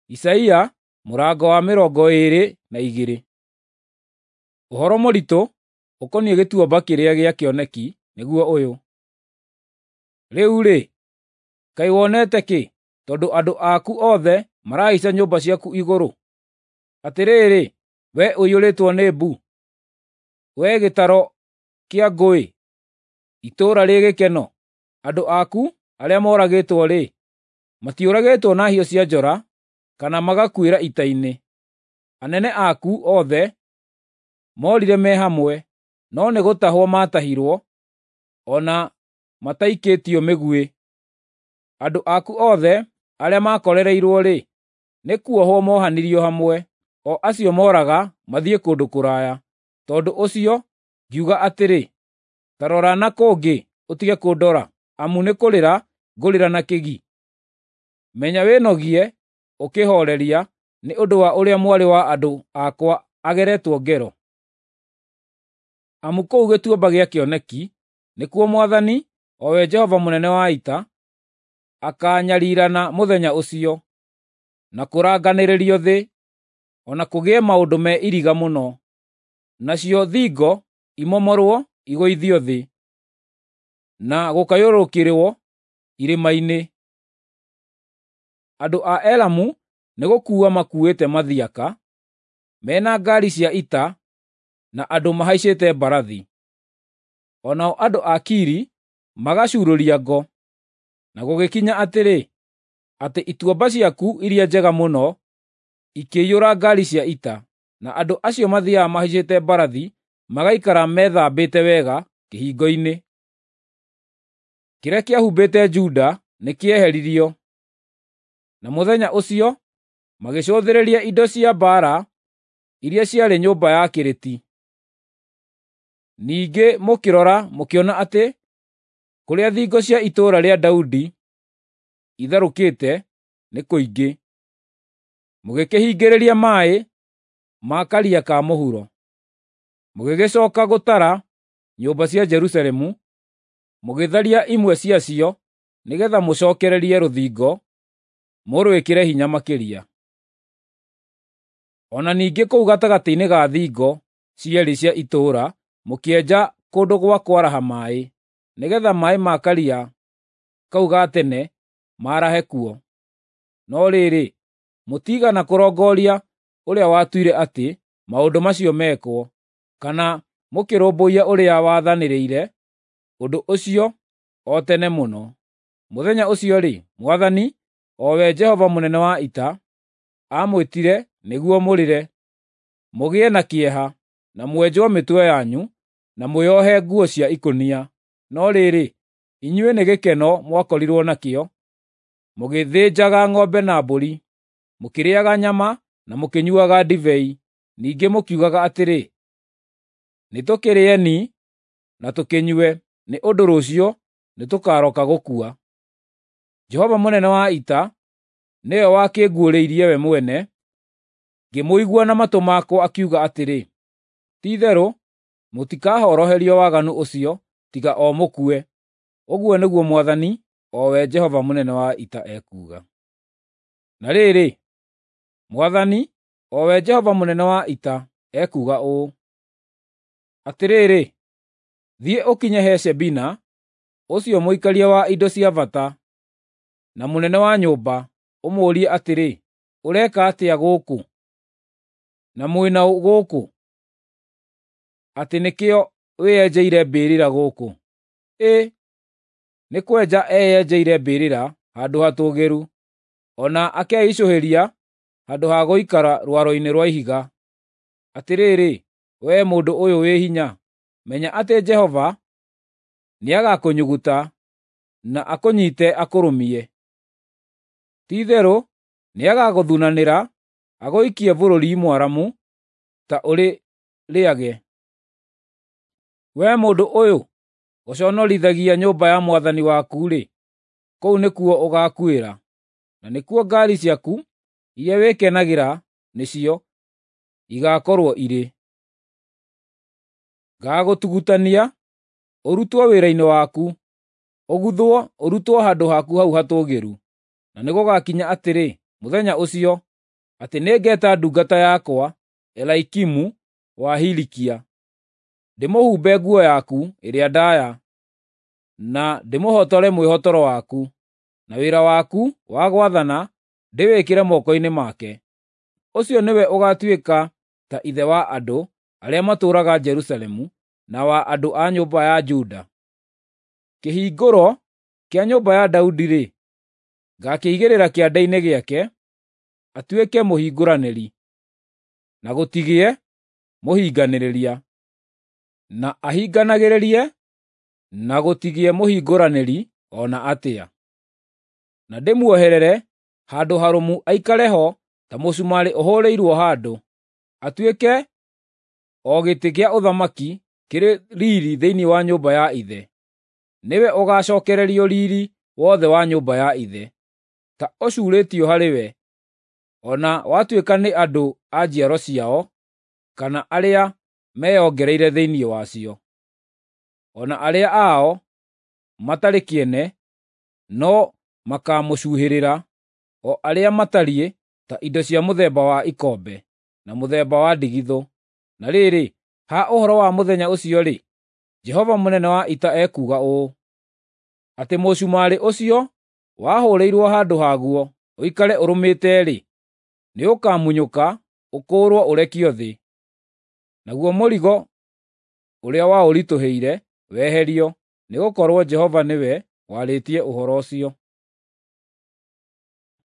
Isaia mũrango wa 22. Ũhoro mũritũ ũkoniĩ gĩtuamba kĩrĩa gĩa kĩoneki nĩguo ũyũ: Rĩu-rĩ, kaĩ wonete kĩ, tondũ andũ aku othe marahaica nyũmba ciaku igũrũ? Atĩrĩrĩ, wee ũiyũrĩtwo nĩ mbu, wee gĩtaro kĩa ngũĩ, itũũra rĩ gĩkeno, andũ aku arĩa moragĩtwo-rĩ, matiũragĩtwo na hiũ cia njora kana magakuĩra ita-inĩ. Anene aku othe moorire me hamwe, no nĩ gũtahwo maatahirwo, o na mataikĩtio mĩguĩ. Andũ aku othe arĩa maakorereirwo-rĩ, nĩ kuohwo moohanirio hamwe, o acio mooraga mathiĩ kũndũ kũraya. Tondũ ũcio ngiuga atĩrĩ, “Ta rora na kũngĩ ũtige kũndora, amu nĩ kũrĩra ngũrĩra na kĩgi.” Menya wĩnogie ũkĩhooreria nĩ ũndũ wa ũrĩa mwarĩ wa andũ akwa ageretwo ngero. Amu kũu gĩtuamba gĩa kĩoneki nĩkuo Mwathani, o we Jehova mũnene wa ita, akaanyarirana mũthenya ũcio, na kũranganĩrĩrio thĩ, o na kũgĩe maũndũ me iriga mũno, nacio thingo imomorwo igũithio thĩ, na gũkayũrũrũkĩrwo irĩma-inĩ. Andũ a Elamu nĩgũkuua makuuĩte mathiaka, mena ngaari cia ita na andũ mahaicĩte mbarathi. O nao andũ a Kiri magacuurũria ngo. Na gũgĩkinya atĩrĩ, atĩ ituamba ciaku iria njega mũno ikĩiyũra ngaari cia ita, na andũ acio mathiiaga mahaicĩte mbarathi magaikara methambĩte wega kĩhingo-inĩ. Kĩrĩa kĩahumbĩte Juda nĩkĩeheririo, na mũthenya ũcio magĩcũthĩrĩria indo cia mbaara iria ciarĩ nyũmba ya Kĩrĩti. Ningĩ mũkĩrora mũkĩona atĩ kũrĩa thingo cia itũũra rĩa Daudi itharũkĩte nĩ kũingĩ, mũgĩkĩhingĩrĩria maaĩ ma Karia ka Mũhuro. Mũgĩgĩcooka gũtara nyũmba cia Jerusalemu, mũgĩtharia imwe ciacio nĩgeetha mũcookererie rũthingo mũrwĩkĩre hinya makĩria. O na ningĩ kũu gatagatĩ-inĩ ga thingo cierĩ cia itũũra mũkĩenja kũndũ gwa kwaraha maaĩ, nĩgeetha maaĩ ma Karia kau ga tene maarahe kuo. No rĩrĩ, mũtiigana kũrongooria ũrĩa watuire atĩ maũndũ macio mekwo, kana mũkĩrũmbũiya ũrĩa wathanĩrĩire ũndũ ũcio o tene mũno. Mũthenya ũcio-rĩ, Mwathani, o we Jehova mũnene wa ita, aamwĩtire nĩguo mũrĩre, mũgĩe na kĩeha, na mwenjwo mĩtwe yanyu, na mwĩohe nguo cia ikũnia. No rĩrĩ, inyuĩ nĩ gĩkeno mwakorirwo nakĩo, mũgĩthĩnjaga ng'ombe na mbũri, mũkĩrĩĩaga nyama na mũkĩnyuuaga ndibei. Ningĩ mũkiugaga atĩrĩ, “Nĩtũkĩrĩeni na tũkĩnyue, nĩ ũndũ rũciũ nĩtũkarooka gũkua.” Jehova mũnene wa ita nĩwe wakĩnguũrĩirie we mwene, ngĩmũigua na matũ makwa akiuga atĩrĩ, “Ti-itherũ mũtikahoroherio waganu ũcio tiga o mũkue.” Ũguo nĩguo Mwathani, o we Jehova mũnene wa ita ekuuga. Na rĩrĩ, Mwathani, o we Jehova mũnene wa ita, ekuuga ũũ: Atĩrĩrĩ, thiĩ ũkinye he Shebina, ũcio mũikaria wa indo cia bata, na mũnene wa nyũmba, ũmũũrie atĩrĩ, “Ũreka atĩa gũkũ? Na mwĩ na ũ gũkũ, atĩ nĩkĩo wĩyenjeire mbĩrĩra gũkũ?” Ĩ, nĩ kwenja eyenjeire mbĩrĩra handũ hatũũgĩru, o na akeicũhĩria handũ ha gũikara rwaro-inĩ rwa ihiga. Atĩrĩrĩ, wee mũndũ ũyũ wĩ hinya, menya atĩ Jehova nĩagakũnyuguta na akũnyiite akũrũmie. Ti-itherũ nĩagagũthunanĩra agũikie bũrũri mwaramu ta ũrĩ rĩage. Wee mũndũ ũyũ ũconorithagia nyũmba ya mwathani waku-rĩ, kũu nĩkuo ũgaakuĩra, na nĩkuo ngaari ciaku iria wĩkenagĩra nĩcio igaakorwo irĩ. Ngaagũtugutania ũrutwo wĩra-inĩ waku, ũguthwo ũrutwo handũ haku hau hatũũgĩru. Na nĩgũgakinya atĩrĩ, mũthenya ũcio atĩ nĩngeta ndungata yakwa Eliakimu wa Hilikia, ndĩmũhumbe nguo yaku ĩrĩa ndaaya, na ndĩmũhotore mwĩhotoro waku, na wĩra waku wa gwathana ndĩwĩkĩre moko-inĩ make. Ũcio nĩwe ũgaatuĩka ta ithe wa andũ arĩa matũũraga Jerusalemu na wa andũ a nyũmba ya Juda. Kĩhingũro kĩa nyũmba ya Daudi-rĩ, ngaakĩigĩrĩra kĩande-inĩ gĩake, atuĩke mũhingũranĩri, na gũtigĩe mũhinganĩrĩria, na ahinganagĩrĩrie, na gũtigĩe mũhingũranĩri o na atĩa. Na ndĩmuoherere handũ harũmu aikare ho ta mũcumarĩ ũhũrĩirwo handũ, atuĩke o gĩtĩ kĩa ũthamaki kĩrĩ riiri thĩinĩ wa nyũmba ya ithe. Nĩwe ũgaacookererio riiri wothe wa nyũmba ya ithe, ta ũcuurĩtio harĩ we, o na watuĩka nĩ andũ a njiaro ciao kana arĩa meyongereire thĩinĩ wacio. O na arĩa ao matarĩ kĩene no makaamũcuhĩrĩra, o arĩa matariĩ ta indo cia mũthemba wa ikombe, na mũthemba wa ndigithũ. Na rĩrĩ, ha ũhoro wa mũthenya ũcio-rĩ, Jehova mũnene wa ita ekuuga ũũ, atĩ mũcumarĩ ũcio wahũrĩirwo handũ haguo ũikare ũrũmĩte-rĩ, nĩũkamunyũka ũkũũrwo ũrekio thĩ, naguo mũrigo ũrĩa waũritũhĩire weherio, nĩgũkorwo Jehova nĩwe warĩtie ũhoro ũcio.